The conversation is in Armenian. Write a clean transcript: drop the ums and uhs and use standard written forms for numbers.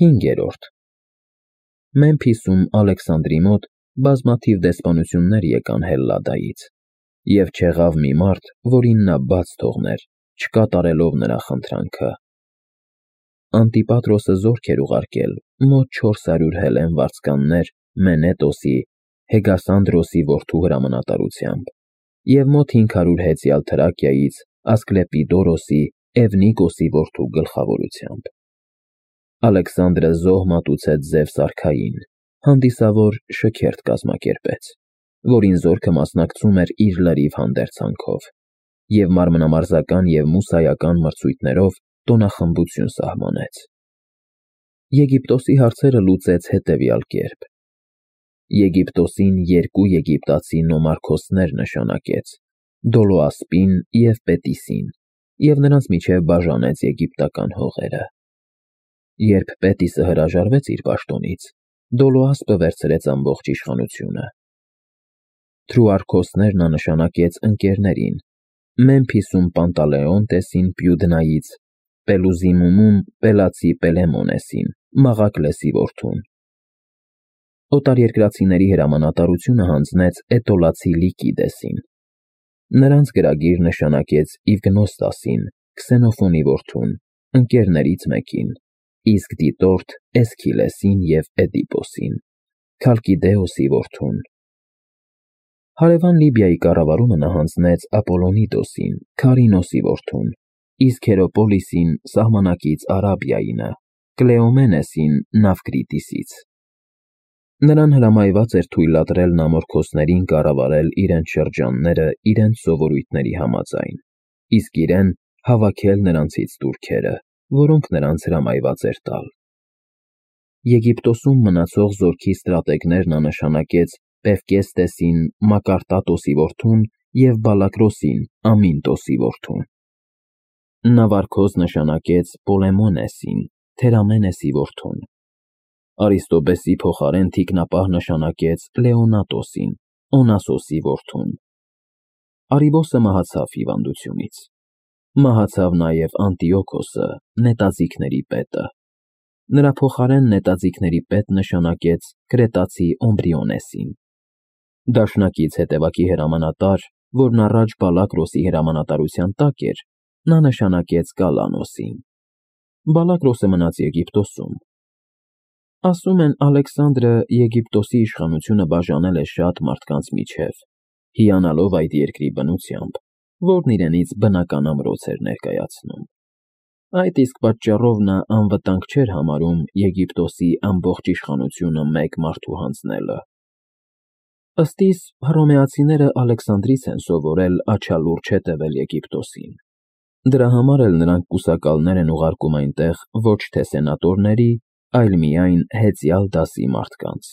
5. Մեմփիսում Ալեքսանդրի մոտ բազմաթիվ դեսպանություններ եկան Հելլադայից, և չեղավ մի մարդ, որին նա բաց թողներ, չկատարելով նրա խնդրանքը։ Անտիպատրոսը զորք էր ուղարկել մոտ 400 հելլեն վարձկաններ Մենետոսի, Հեգասանդրոսի որդու հրամանատարությամբ, և մոտ 500 հեծյալ Թրակիայից Ասկլեպիդորոսի, Էվնիկոսի որդու գլխավորությամբ։ Ալեքսանդրը զոհ մատուցեց Զևս արքային, հանդիսավոր շքերթ կազմակերպեց, որին զորքը մասնակցում էր իր լրիվ հանդերձանքով, և մարմնամարզական և մուսայական մրցույթներով տոնախմբություն սահմանեց։ Եգիպտոսի հարցերը լուծեց հետևյալ կերպ. Եգիպտոսին 2 եգիպտացի նոմարքոսներ նշանակեց, Դոլոասպին և Պետիսին, և նրանց միջև բաժանեց եգիպտական հողերը։ Երբ Պետիսը հրաժարվեց իր պաշտոնից, Դոլոասպը վերցրեց ամբողջ իշխանությունը։ Թրուարկոսներ նա նշանակեց ընկերներին. Մեմփիսում Պանտալեոնտեսին Պյուդնայից, Պելուզիմումում Պելացի Պելեմոնեսին, Մաղակլեսի որդուն։ Օտարերկրացիների հրամանատարությունը հանձնեց Էտոլացի Լիկիդեսին։ Նրանց գրագիր նշանակեց Իվգնոստասին, Քսենոֆոնի որդուն, ընկերներից մեկին, իսկ դիտորդ Էսքիլեսին և Էդիպոսին, Քալկիդեոսի որդուն։ Հարևան Լիբիայի կառավարումը նա հանձնեց Ապոլոնիդոսին, Քարինոսի որդուն, իսկ Հերոպոլիսին սահմանակից Արաբիայինը, Կլեոմենեսին Նավկրիտիսից։ Նրան հրամայված էր թույլատրել նամորքոսներին կառավարել իրենց շրջանները իրենց սովորույթների համաձայն, իսկ իրեն հավաքել նրանցից տուրքերը, որոնք նրանց հրամայված էր տալ։ Եգիպտոսում մնացող զորքի ստրատեգներ նա նշանակեց Պևկեստեսին, Մակարտատոսի որդուն և Բալակրոսին, Ամինտոսի որդուն։ Նավարկոս նշանակեց Պոլեմոնեսին, Թերամենեսի որդուն։ Արիստոբեսի փոխարեն թիկնապահ նշանակեց Լեոնատոսին, Օնասոսի որդուն։ Արիբոսը մահացավ հիվանդությունից։ Մահացավ նաև Անտիոքոսը, նետաձիգների պետը։ Նրա փոխարեն նետաձիգների պետ նշանակեց Կրետացի Օմբրիոնեսին։ Դաշնակից հետևակի հրամանատար, որն առաջ Բալակրոսի հրամանատարության տակ էր, նա նշանակեց Կալանոսին։ Բալակրոսը մնաց Եգիպտոսում։ Ասում են Ալեքսանդրը Եգիպտոսի իշխանությունը բաժանել է շատ մարդկանց միջև, հիանալով այդ երկրի բնությամբ, որն իրենից բնական ամրոց էր ներկայացնում։ Այդ իսկ պատճառով նա անվտանգ չէր համարում Եգիպտոսի ամբողջ իշխանությունը մեկ մարդու հանձնելը։ Ըստ իս, հռոմեացիները Ալեքսանդրից են սովորել աչալուրջ հետևել Եգիպտոսին։ Դրա համար էլ նրանք կուսակալներ են ուղարկում այնտեղ ոչ թե սենատորների, այլ միայն հեծյալ դասի մարդկանց։